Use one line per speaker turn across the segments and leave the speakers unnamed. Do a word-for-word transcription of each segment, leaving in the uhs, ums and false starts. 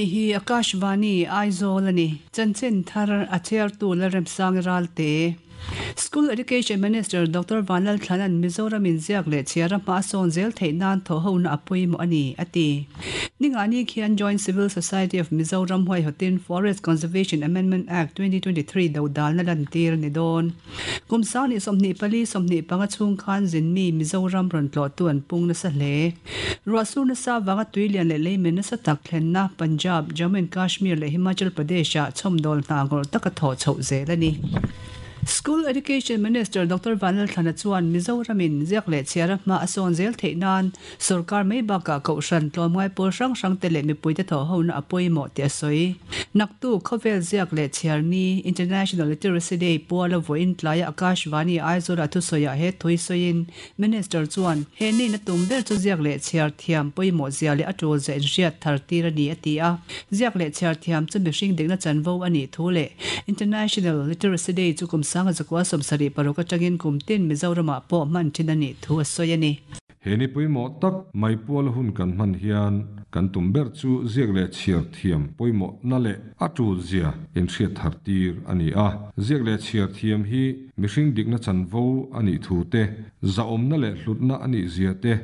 Hei hi Akashvani Aizawl ani chanchin thar a chhiartu Lalremsang Ralte School Education Minister Doctor Vanlalthlana'n Mizoram in ziak leh chhiar a hma sawn zel theih nan thaw ho na a pawimawh ani a ti. Ningani khian Joint Civil Society of Mizoram huaihawtin Forest Conservation Amendment Act twenty twenty-three do dal na lan tir ni dawn. Kum sang ni sawmhnih pali sawmhnih panga chhung khan zinmi Mizoram rawn tlawh tu an pung nasa hle. Ruahsur nasa wanga tuilian leh leimen nasa tak thlenna Punjab, Jammu and Kashmir leh Himachal Pradesh ah chhawmdawl hna ngawrh taka thawh chhoh zel ani. School Education Minister Doctor Vanlalthlana chuan Mizoramin ziak leh chhiar a hma a sawn zel theih nan sarkar mai bakah kohhran tlawmngai pawl hrang hrang te leh mipuite thaw ho na a pawimawh tih a sawi. Naktu khawvel ziak leh chhiar ni International Literacy Day puala vawiin tlaia Akashvani Aizawl a thusawiah he thui sawiin Minister chuan he ni na tum ber chu ziak leh chhiar thiam pawimawh zia leh a tul zia inhriat thar tir ani a ti a. Ziak leh chhiar thiam chu mihring dikna chanvo ani thu leh International Literacy Day chu kum sanga zakwa sawmsarih paruk atangin kum tin Mizoramah pawh hman thin ani thu a sawi ani.
He ni pawimawh tak mai pual hun kan hman hian kan tum ber chu ziak leh chhiar thiam pawimawh na leh a tul zia inhriat thar tir ani a. Ziak leh chhiar thiam hi mihring dikna chanvo ani thu te zaawmna leh hlutna ani zia te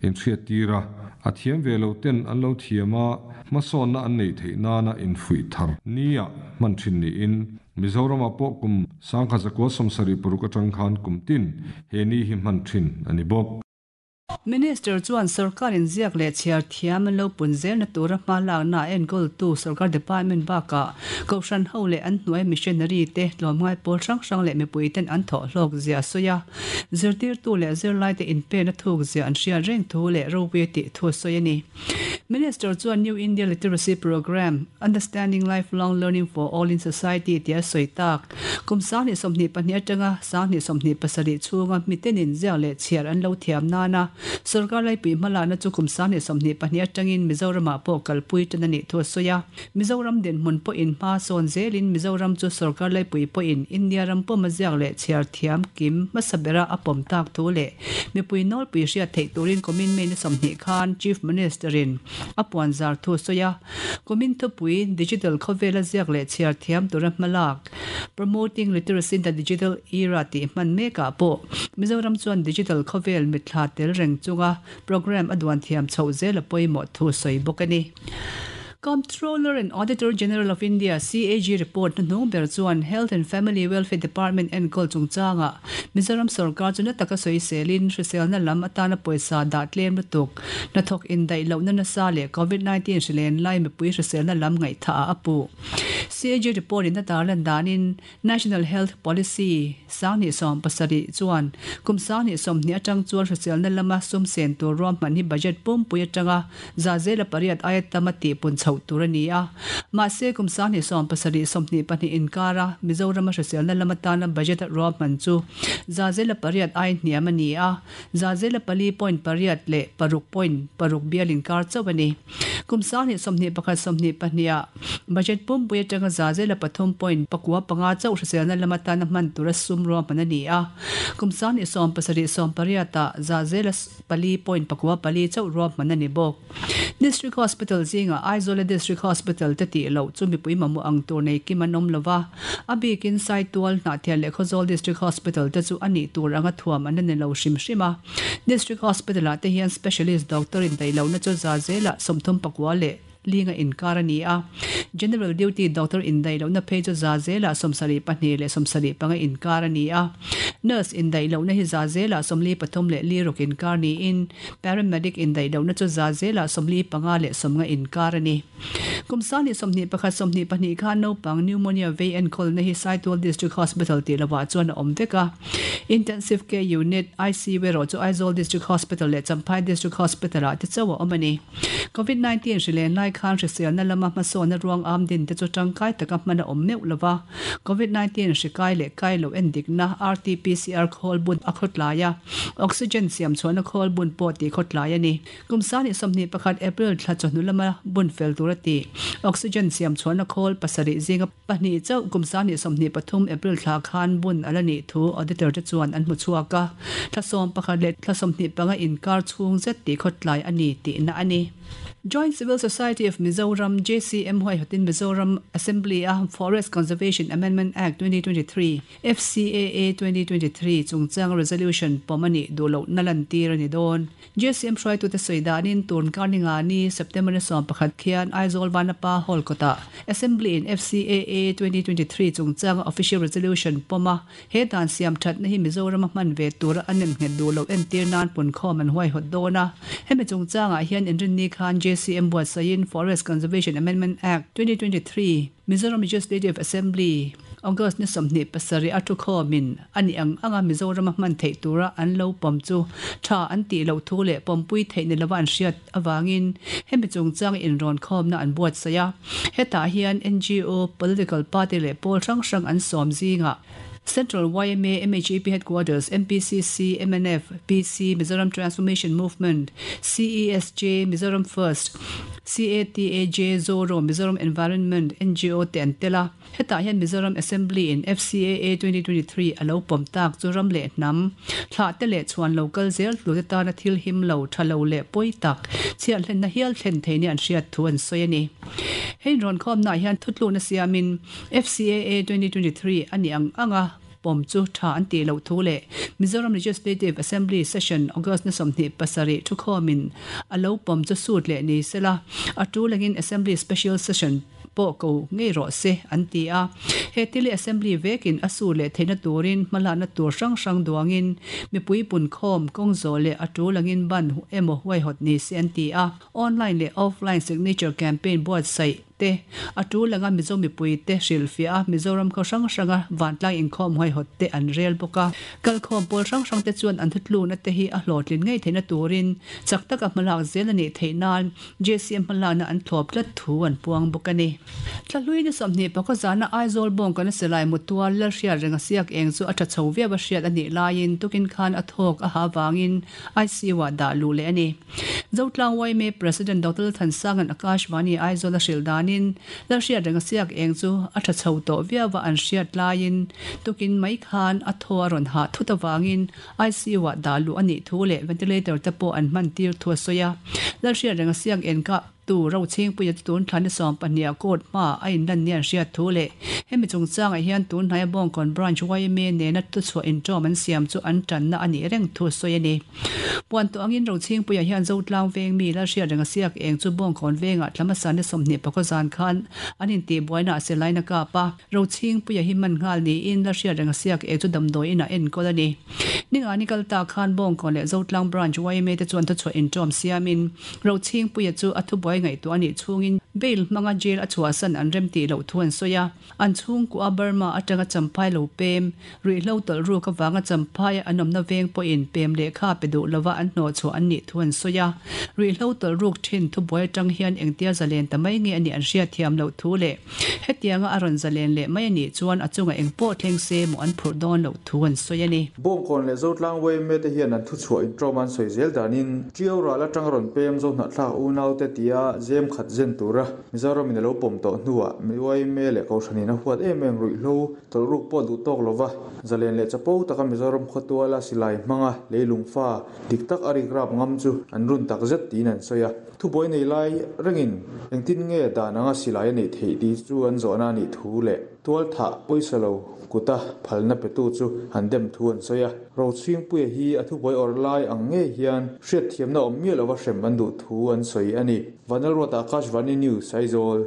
inhriat tira a thiam ve lo ten an lo thiama hmasawnna an nei theih nana infuih thar nia hman thin niin Mizorama pawh kum sangkha zakua sawmsarih paruk atang khan kum tin he ni hi hman thin ani bawk.
Minister chuan sarkarin ziak leh chhiar thiam an lo pun zel na tura hma lak na enkawl tu sarkar department baka kohhran ho leh an hnuai missionary te tlawmngai pawl hrang hrang leh mipui ten an thawh hlawk zia sawi a. Zirtir tu leh zirlai te inpen a thuk zia an hriat reng thu leh ropui tih thu sawi ani. Minister chuan New India Literacy Program Understanding Lifelong Learning for All in Society tia sawi tak kum sang hnih sawmhnih pahnih atanga sang hnih sawmhnih pasarih chhunga mitenin ziak leh chhiar an lo thiam nana sarkar laipui hmala na chu kum sang hnih sawmhnih pahnih atangin Mizoramah pawh kalpui tan ani thu sawi a. Mizoram dinhmun pawhin hma sawn zelin Mizoram chu sarkar laipui pawhin India ram pawm a ziak leh chhiar thiam kim hmasa bera a pawm tak thu leh mipui nawlpui hriat theih turin kumin May ni sawmhnih khan Chief Minister in a puan zar thu sawi a. Kumin thupui digital khawvela ziak leh chhiar thiam tura hmalak Promoting Literacy in the Digital Era tih hman mekah pawh Mizoram chuan digital khawvel mithla tel reng chunga program a duan thiam chhoh zel a pawimawh thu sawi bawk ani. Comptroller and Auditor General of India C A G report na hnung ber chuan Health and Family Welfare Department enkawl chungchanga Mizoram sarkar chu na taka sawi selin hriselna lam atana pawisa dah tlem lutuk na thawk indaih lohna nasa leh covid nineteen hrilen lai mipui hriselna lam ngaihtha a apu. C A G report in a tarlan danin National Health Policy sang hnih sawm pasarih chuan kum sang hnih sawmhnih atang chuan hriselna lama sum sen tur ruam hman hi budget pumpui atanga za zela pariat aia tama tih pun chhoh tur ani a. Mahse kum sang hnih sawm pasarih sawmhnih pahnih inkara Mizoram hriselna lama tana budget ruam hman chu za zela pariat ai hniam ani a. Za zela pali point pariat leh paruk point paruk bial inkar chauh ani. Kum sang hnih sawmhnih pakhat sawmhnih pahnih ah budget pumpui atanga za zela pathum point pakua panga chauh hriselna lama tana hman tura sum ruam hman ani a. Kum sang hnih sawm pasarih sawm pariat ah za zela pali point pakua pali chauh ruam hman ani bawk. District Hospital zinga Aizawl District Hospital te tih loh chu mipui mamawh ang tur nei kim an awm lova. A bikin Saitual Hnahthial leh Khawzawl District Hospital te chu ani tur anga thuam an ni lo hrim hrim a. District Hospital ah te hian specialist doctor in daih lohna chu za zela sawmthum pakua leh linga inkar ani a. General duty doctor in daih lohna phei chu za zela sawmsarih pahnih leh sawmsarih panga inkar ani a. Nurse in daih lohna hi za zela sawmli pathum leh li ruk inkar niin paramedic in daih lohna chu za zela sawmli panga leh sawmnga inkar ani. Kum sang hnih sawmhnih pakhat sawmhnih pahnih khan naupang pneumonia vei enkawl na hi Saitual District Hospital tih lovah chuan a awm vek a. Intensive Care Unit I C U erawh chu Aizawl District Hospital leh Champhai District Hospital ah te chauh a awm ani. covid nineteen hrilen lai khan hriselna lama hmasawnna ruang am din te chu tangkai taka hman a awm meuh lova. covid nineteen hrikai leh kai lo endikna R T P C R khawl bun a khawtlai a. Oxygen siam chhuahna khawl bun pawh tih khawtlai ani. Kum sang hnih sawmhnih pakhat April thla chawhnu lama bun fel tur a ti. Oxygen siam chhuahna khawl pasarih zinga pahnih chauh kum sang hnih sawmhnih pathum April thla khan bun ala nih thu auditor te chuan an hmu chhuak a. Thla sawm pakhat leh thla sawmhnih panga inkar chhung zet tih khawtlai ani tih na ani. Joint Civil Society of Mizoram J C M huaihatin Mizoram Assembly a Forest Conservation Amendment Act twenty twenty-three F C A A twenty twenty-three chungchang resolution pomani dulo nalan tir ani don J C M hruai tu te soidanin turn karninga ni September ni sawm pakhat khian Aizawl Vanapa Hall kota Assembly in F C A A twenty twenty-three chungchang official resolution poma he dan siam that na hi Mizoram hman ve tur anem nge dulo entir nan pun khom an huai hot dona hemi chungchanga hian inrin ni khan J C M buatsain Forest Conservation Amendment Act twenty twenty-three Mizoram Legislative Assembly August ni sawmhnih pasarih a thu khawmin ani ang anga Mizoram hman theih tura an lo pawm chu tha an tih loh thu leh pawmpui theih ni lova an hriat awangin hemi chungchang inrawn khawmna an buatsaih a hetah hian N G O political party leh pawl hrang hrang an sawm zingah Central Y M A, M H A P Headquarters, M P C C, M N F, P C, Mizoram Transformation Movement, C E S J, Mizoram First, C A T A J, Zoro, Mizoram Environment, N G O te an tela. Hetah hian Mizoram Assembly in F C A A twenty twenty-three alo pawm tak chu ram leh hnam thlah te leh chuan local zel tlu te tana thil him lo tha lo leh pawi tak chhiat hlenna hial thlen thei ni an hriat thu an sawi ani. Hein rawn khawm na hian thutluna siamin F C A A twenty twenty-three ani ang anga pawm chu tha an ti lo thu le Mizoram Legislative Assembly Session August ni sawmhnih pasarih thu khawmin alo pawm chu sut leh ni sela a tu lengin Assembly Special Session po ko ngei ro se an ti a he tili assembly vekin asu le theina turin hmalana tur hrang hrang duangin mipui pun khawm kawng zawh leh a tu langin ban emaw huai hot ni se an ti a online leh offline signature campaign buatsaih te a tu langa Mizo mipui te hrilhfiah a Mizoram khaw hrang hranga vantlang inkhawm huai hot te an rel bawk a kal khawm pawl hrang hrang te chuan an thutluna te hi a hlawhtlin ngei theihna turin chak taka hmalak zel ani theih nan J C M hmalakna an thlawp tlat thu an puang bawk ani. Thlahlui ni sawmhnih pakhat zana Aizawl bawng kana silai mutual lal hriat renga siak eng chu a tha chho viau a hriat ani laiin tukin khan a thawk a ha wangin I C U ah dah lu leh ani. Zotlang Y M A President Doctor Thansangan Akashvani Aizawl a hril danin lal hriat renga siak eng chu a tha chho tawh viau a an hriat laiin tukin mai khan a thaw a rawn hah thut awangin I C U ah dah lu ani thu leh ventilator te pawh an hman tir thu a sawi a lal hriat renga siak eng ka tu ro ching puia tun thlan sawm pahnih a court hma a in lan ni an hriat thu leh hemi chungchangah hian tun hnaia Bawngkawn branch Y M A nena tu chhuah inṭawm an siam chu an tanna ani reng thu sawi ani. Puan tu angin ro ching puia hian Zotlang veng mi lal hriat renga siak eng chu Bawngkawn vengah thlama ni sawmhnih pakhat zan khan an inti buaina a selaina kap a ro ching puia hi man nghal niin lal hriat renga siak eng chu damdawi inah enkawl ani. Ninga ni kalta khan Bawngkawn leh Zotlang branch Y M A te chuan tu chhuah inṭawm siamin ro ching puia chu a thu buai ngai tu ani chungin bail manga jail a chhuah san an rem ti lo thu an sawi a an chhung ku a Burma atanga champhai lo pem ruihhlo tawlh ruk awanga champhai an awmna veng pawhin pem lehkha pe duh lova an hnawh chhuah an nih thu an sawi a ruihhlo tawlh ruk thin thu buai atang hian engtia zalen ta mai nge ani an hriat thiam loh thu leh hetianga a rawn zalen leh mai ani chuan a chunga eng pawh thleng se maw an phurh dawn loh thu an sawi ani.
Bawngkawn leh Zotlang Y M A te hian an thu chhuah inṭawm an sawi zel danin Ṭiau ral atang rawn pem zo hnah thlak unau te tia zem khat zen tura Mizoram in alo pawm tawh hnuah Y M A leh kohhranin a huat em em ruihhlo tawlh ruk pawh duh tawk lova zalen leh chapo taka Mizoram khawtuala silai hmanga leilung fa dik tak a rik rap ngam chu an run tak zet tiin an sawi a thubuai nei lai rengin engtin nge dan anga silai a neih theih tih chu an zawhna anih thu leh tual thah pawisa lo kuta phalna pe tu chu han dem thu an sawi a ro chhing puia hi a thubuai awrh lai ang nge hian hriat thiamna awm miah lova hrem an duh thu an sawi ani. Vanlalruata Akashvani News Aizawl.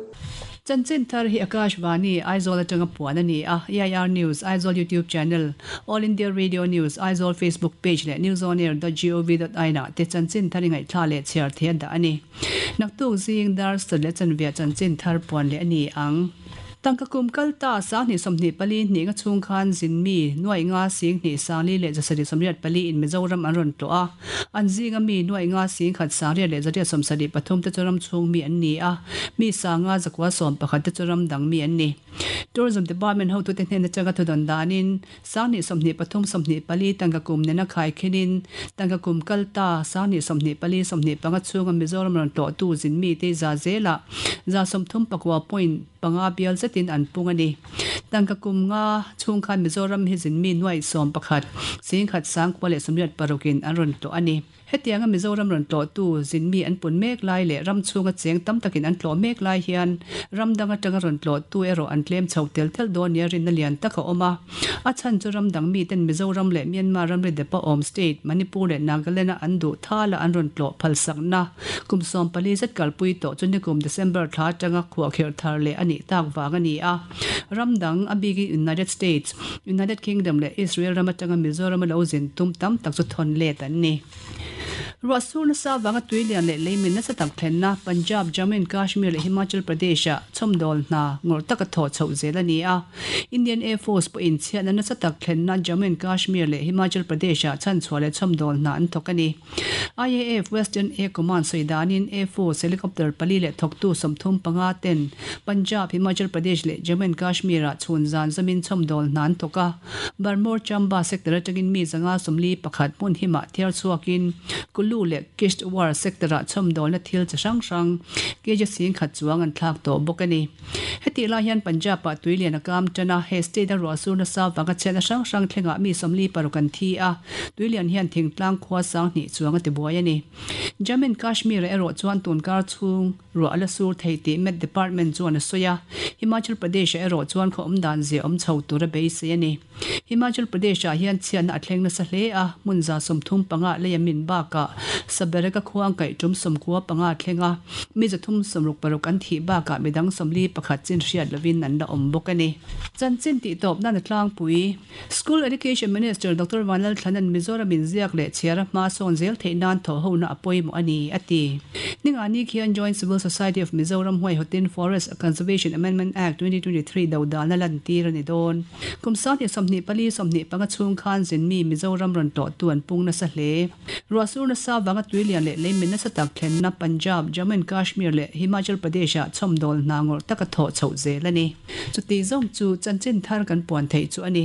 Chanchin thar hi Akashvani Aizawl atanga puan ani a E I R News Aizawl YouTube channel All India Radio News Aizawl Facebook page leh news on air dot gov dot in ah te chanchin thar ngai thla leh chhiar the da ani. Naktuk zing dar sat leh chanvia chanchin thar puan leh ani ang. Tangka kum kalta sang ni sawmhnih pali hnih nga chhung khan zin mi nuai nga sing hnih sangli leh zasarih sawmriat pali in Mizoram an rawn tlawh a an zinga mi nuai nga sing khat sangriat leh zariat sawmsarih pathum te chu ram chhung mi an ni a mi sanga zakua sawm pakhat te chu ram dang mi an ni. Tourism Department hotute hnena changa thudon danin sangni somni pathum somni pali tangka kum nena khai khinin tangka kum kalta sangni somni pali somni panga chunga Mizoram ron to tu zin mi te za zela za somthum pakwa point panga bial zetin an pungani tangka kum nga chung khan Mizoram hi zin mi nuai som pakhat sing khat sang kwale somriat parukin an ron to ani hetianga Mizoram ron to tu zin mi an pun mek lai le ram chunga cheng tam takin an tlo mek lai hian ram danga tanga ron tlo tu ero an tlem chho tel tel don nia rin na lian taka oma a chan chu ram dang mi ten Mizoram le Myanmar ram re depa om state Manipur le Nagaland an du thala an ron tlo phalsak na kum som pali zat kalpui to chuni kum December thla tanga khuwa kher thar le ani tak wang ani a ram dang abigi United States United Kingdom le Israel ram atanga Mizoram lo zin tum tam tak chu thon le tan ni Rasul sa wanga tuilian le leimin na sa tak thlenna Punjab Jammu and Kashmir le Himachal Pradesh a chomdol na ngor taka tho chho zel ani a Indian Air Force po in chian na sa tak thlenna Jammu and Kashmir le Himachal Pradesh a chan chhuale chomdol na an thokani I A F Western Air Command soidanin Air Force helicopter pali le thoktu somthum panga ten Punjab Himachal Pradesh le Jammu and Kashmir a chhun zan zamin chomdol na an thoka Barmor Chamba sector atangin mi zanga somli pakhat mun hima thiar chuakin Kulu le Kishtwar sector a chomdol na thil chasang sang keja sing khat chuang an thlak to bokani heti la hian Punjab pa tuilian akam tana he state a rosu na sa wanga chena sang sang thlenga mi somli parukan thi a tuilian hian thingtlang khwa sang ni chuang te buai ani Jammu and Kashmir ero chuan tun kar chung ro ala sur theiti Met Department chuan a soya Himachal Pradesh ero chuan kho omdan ze om chho tur a beisei ani Himachal Pradesh a hian chian a thleng na sa hle a munza somthum panga leyamin ba ka sabereka khuang kai tum somkua panga thlenga mi zathum somruk paruk an thi ba ka midang somli pakhat chin hriat lovin an la om bok ani chanchin ti top na na tlang pui School Education Minister Doctor Vanlal Thlanan Mizoram in ziak le chiara ma son zel theinan tho ho na apoi mo ani ati ningani khian Joint Civil Society of Mizoram huai hotin Forest Conservation Amendment Act twenty twenty-three do dal na lan tir ani don kumsa ni somni pali somni panga chung khan zin mi Mizoram ron to tuan pung na sa hle ruasur na sa wanga tuilian le leimin na sa tak thlen na Punjab Jammu and Kashmir le Himachal Pradesh a chomdol na ngor taka tho chho zel ani chuti zong chu chanchin thar kan puan thei chu ani.